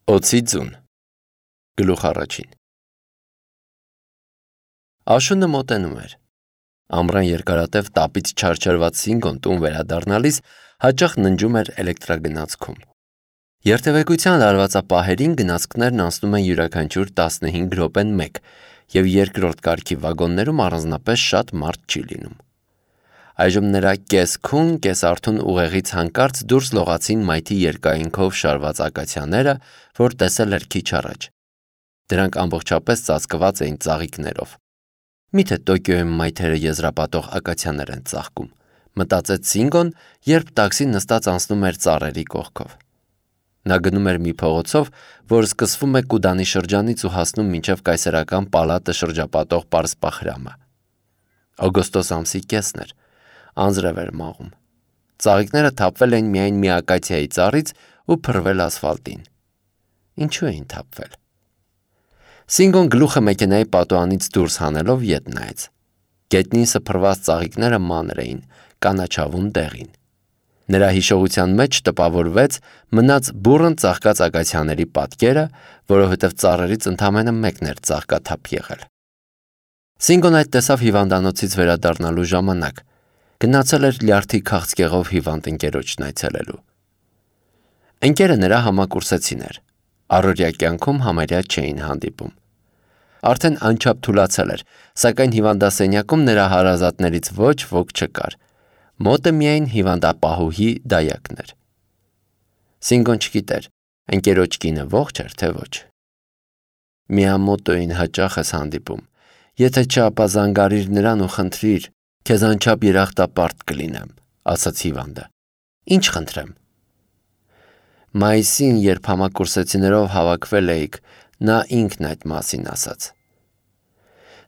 Օձի ձուն Գլուխ առաջին Աշունը մոտենում էր։ Ամռան երկարատև տապից չարչարված Սինգոն տուն վերադառնալիս հաճախ ննջում էր էլեկտրագնացքում։ Երթևեկության լարվածապահերին գնացքներն անցնում են յուրաքանչյուր 15 րոպեն մեկ և երկրորդ կարգի վագոններում առանձնապես շատ մարդ չի լինում։ Այժմ նրա կես-քուն, կես-արթուն ուղեղից հանկարծ դուրս լողացին մայթի երկայնքով շարված ակացիաները, որ տեսել էր քիչ առաջ։ Դրանք ամբողջապես ծածկված էին ծաղիկներով։ Միթե Տոկիոյում մայթերը եզրապատող ակացիաներ են ծաղկում, մտածեց Սինգոն, երբ տաքսին նստած անցնում էր ծառերի կողքով։ Նա գնում էր մի փողոցով, որ սկսվում է Կուդանի շրջանից ու հասնում մինչև կայսերական պալատը շրջապատող պարսպախրամը։ Օգոստոս ամսի կեսն էր, անձրև էր մաղում։ Ծաղիկները թափվել էին միայն մի ակացիայի ծառից ու փռվել ասֆալտին։ Ինչու էին թափվել։ Սինգոն գլուխը մեքենայի պատուհանից դուրս հանելով ետ նայեց։ Գետնին սփռված ծաղիկները մանր էին, կանաչավուն դեղին։ Նրա հիշողության մեջ տպավորվեց մնաց բուռն ծաղկած ակացիաների պատկերը, որովհետև ծառերից ընդամենը մեկն էր ծաղկաթափ եղել։ Սինգոն այդ տեսավ հիվանդանոցից վերադառնալու ժամանակ։ Գնացել էր լյարդի քաղցկեղով հիվանդ ընկերոջն այցելելու։ Ընկերը նրա համակուրսեցին էր։ Առօրյա կյանքում համարյա չէին հանդիպում։ Արդեն անչափ թուլացել էր, սակայն հիվանդասենյակում նրա հարազատներից ոչ ոք չկար։ Մոտը միայն հիվանդապահուհի դայակն էր։ Սինգոն չգիտեր, ընկերոջ կինը ողջ էր, թե ոչ։ Միամոտոյին հաճախ ես հանդիպում։ Եթե չէ, ապա զանգարիր նրան ու խնդրիր, քեզ անչափ երախտապարտ կլինեմ, ասաց հիվանդը։ Ինչ խնդրեմ։ Մայիսին, երբ համակուրսեցիներով հավաքվել էիք, նա ինքն այդ մասին ասաց։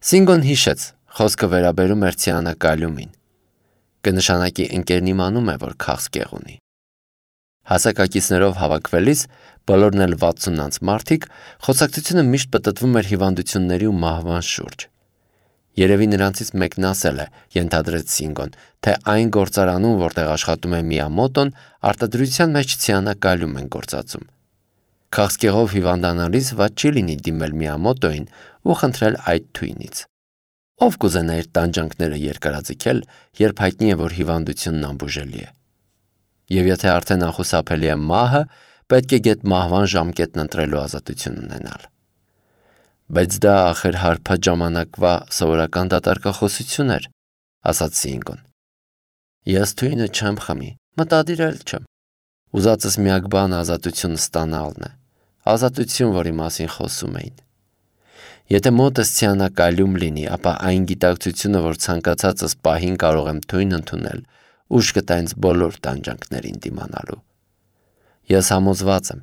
Սինգոն հիշեց, խոսքը վերաբերում էր ցիանակալյումին։ Կնշանակի ընկերն իմանում է, որ քաղցկեղ ունի։ Հասակակիցներով հավաքվելիս, բոլորն էլ 60-անց մարդիկ, խոսակցությունը միշտ պտտվում էր հիվանդությունների ու մահվան շուրջ։ Երևի նրանցից մեկն ասել է, ենթադրեց Սինգոն, թե այն գործարանում, որտեղ աշխատում է Միամոտոն, արտադրության մեջ ցիանակալյում են գործածում։ Քաղցկեղով հիվանդանալիս վատ չի լինի դիմել Միամոտոյին ու խնդրել այդ թույնից։ Ով կուզենա իր տանջանքները երկարաձգել, երբ հայտնի է, որ հիվանդությունն անբուժելի է։ Եվ եթե արդեն անխուսափելի է մահը, պետք է գեթ մահվան ժամկետն ընտրելու ազատություն ունենալ։ Բայց դա ախր հարբած ժամանակվա սովորական դատարկախոսություն էր, ասաց Սինգոն։ Ես թույնը չեմ խմի, մտադիր էլ չեմ։ Ուզածս միակ բանը ազատություն ստանալն է, ազատություն, որի մասին խոսում էին։ Եթե մոտս ցիանակալյում լինի, ապա այն գիտակցությունը, որ ցանկացածս պահին կարող եմ թույն ընդունել, ուժ կտա ինձ բոլոր տանջանքներին դիմանալու։ Ես համոզված եմ,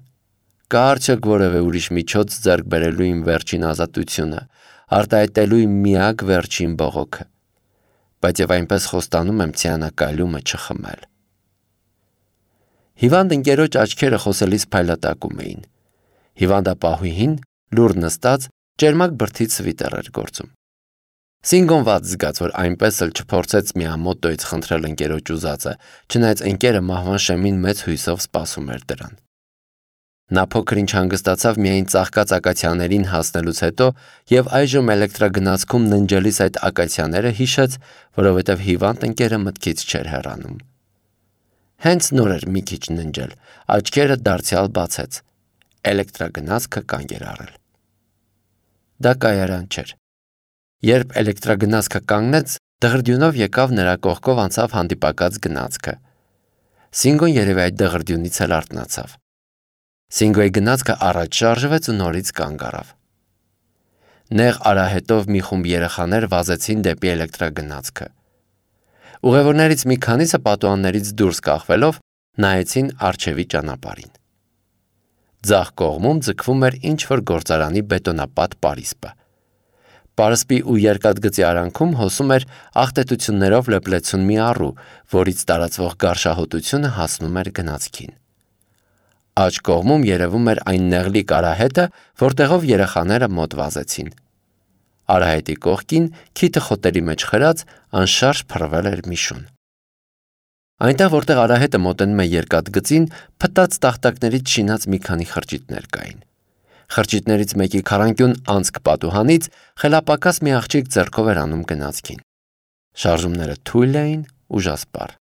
կա արդյոք որևէ ուրիշ միջոց ձեռք բերելու իմ վերջին ազատությունը, արտահայտելու իմ միակ վերջին բողոքը, բայց եւ այնպես խոստանում եմ ցիանակալյումը չխմել։ Հիվանդ ընկերոջ աչքերը խոսելիս փայլատակում էին։ Հիվանդապահուհին, լուռ նստած, ճերմակ բրդից սվիտեր էր գործում։ Սինգոն վատ զգաց, որ այնպես էլ չփորձեց Միամոտոյից խնդրել ընկերոջ ուզածը, չնայած ընկերը մահվան շեմին մեծ հույսով սպասում էր դրան։ Նա փոքր-ինչ հանգստացավ միայն ծաղկած ակացիաներին հասնելուց հետո եւ այժմ էլեկտրագնացքում ննջելիս այդ ակացիաները հիշեց, որովհետեւ հիվանդ ընկերը մտքից չէր հեռանում։ Հենց նոր էր մի քիչ ննջել, աչքերը դարձյալ բացեց։ Էլեկտրագնացքը կանգ էր առել։ Դա կայարան չէր։ Երբ էլեկտրագնացքը կանգնեց, դղրդյունով եկավ նրա կողքով անցավ հանդիպակաց գնացքը։ Սինգոն երևի այդ դղրդյունից էլ արթնացավ։ Սինգոյի գնացքը առաջ շարժվեց ու նորից կանգ առավ։ Նեղ արահետով մի խումբ երեխաներ վազեցին դեպի էլեկտրագնացքը։ Ուղևորներից մի քանիսը պատուհաններից դուրս կախվելով նայեցին առջևի ճանապարհին։ Ձախ կողմում ձգվում էր ինչ-որ գործարանի բետոնապատ պարիսպը։ Պարսպի ու երկաթգծի արանքում հոսում էր աղտետություններով լեփլեցուն մի առու, որից տարածվող գարշահոտությունը հասնում էր գնացքին։ Աջ կողմում երևում էր այն նեղլիկ արահետը, որտեղով երեխաները մոտ վազեցին։ Արահետի կողքին, քիթը խոտերի մեջ խրած, անշարժ փռվել էր մի շուն։ Այնտեղ, որտեղ արահետը մոտենում է երկաթգծին, փտած տախտակներից շինած մի քանի խրճիթներ կային։ Խրճիթներից մեկի քառանկյուն անցք պատուհանից խելապակաս մի աղջիկ ձեռքով էր անում գնացքին։ Շարժումները թույլ էին, ուժասպառ։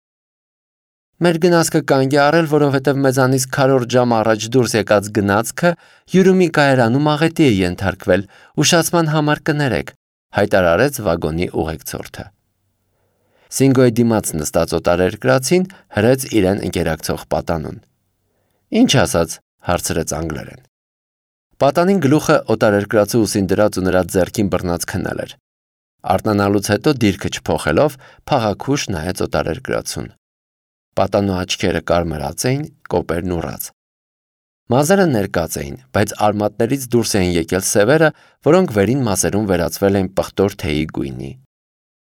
Մեր գնացքը կանգ է առել, որովհետև մեզանից քառորդ ժամ առաջ դուրս եկած գնացքը Յուրումի կայարանում աղետի է ենթարկվել, ուշացման համար կներեք, հայտարարեց վագոնի ուղեկցորդը։ Սինգոյի դիմաց նստած օտարերկրացին հրեց իրեն ընկերակցող պատանուն։ Ինչ ասաց, հարցրեց անգլերեն։ Պատանին գլուխը օտարերկրացու ուսին դրած ու նրա ձեռքին բռնած քնել էր։ Արթնանալուց հետո դիրքը չփոխելով փաղաքուշ նայեց օտարերկրացուն։ Պատանու աչքերը կարմրած էին, կոպերն ուռած։ Մազերը ներկած էին, բայց արմատներից դուրս էին եկել սևերը, որոնք վերին մասերում վերածվել էին պղտոր թեյի գույնի։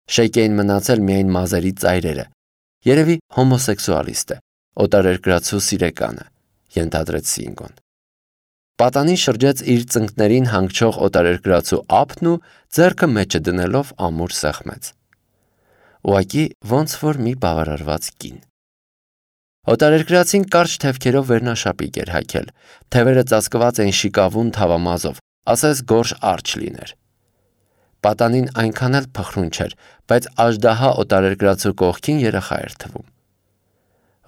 Շեյք էին մնացել միայն մազերի ծայրերը։ Երևի հոմոսեքսուալիստ է, օտարերկրացու սիրեկանը, ենթադրեց Սինգոն։ Պատանին շրջեց իր ծնկներին հանգչող օտարերկրացու ափն ու ձեռքը մեջը դնելով ամուր սեղմեց։ Ուղղակի ոնց որ մի բավարարված կին։ Օտարերկրացին կարճ թևքերով վերնաշապիկ էր հագել, թևերը ծածկված էին շիկավուն թավամազով, ասես գորշ արջ լիներ։ Պատանին այնքան էլ փխրուն չէր, բայց աժդահա օտարերկրացու կողքին երեխա էր թվում։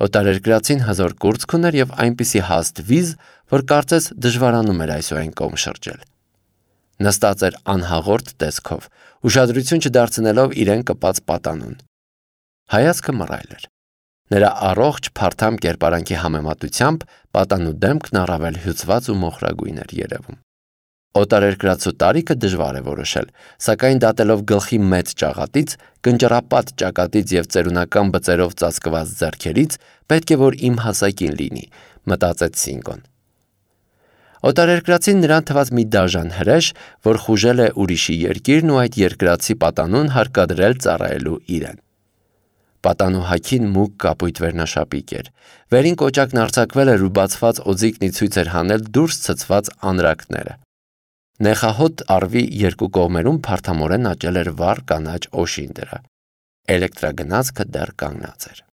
Օտարերկրացին հզոր կուրծք ուներ և այնպիսի հաստ վիզ, որ կարծես դժվարանում էր այս ու այն կողմ շրջել։ Նստած էր անհաղորդ տեսքով, ուշադրություն չդարձնելով իրեն կպած պատանուն։ Հայացքը մռայլ էր։ Նրա առողջ փարթամ կերպարանքի համեմատությամբ պատանու դեմքն առավել հյուծված ու մոխրագույն էր երևում։ Օտարերկրացու տարիքը դժվար է որոշել, սակայն դատելով գլխի մեծ ճաղատից, կնճռապատ ճակատից և ծերունական բծերով ծածկված ձեռքերից, պետք է որ իմ հասակին լինի, մտածեց Սինգոն։ Օտարերկրացին նրան թված մի դաժան հրեշ, որ խուժել է ուրիշի երկիրն ու այդ երկրացի պատանուն հարկադրել ծառայելու իրեն։ Պատանու հագին մուգ կապույտ վերնաշապիկ էր։ Վերին կոճակն արձակվել էր ու բացված օձիքն ի ցույց էր հանել դուրս ցցված անրակները։ Նեխահոտ առվի երկու կողմերում փարթամորեն աճել էր վառ կանաչ օշին դրա։ Էլեկտրագնացքը դեռ կանգնած էր։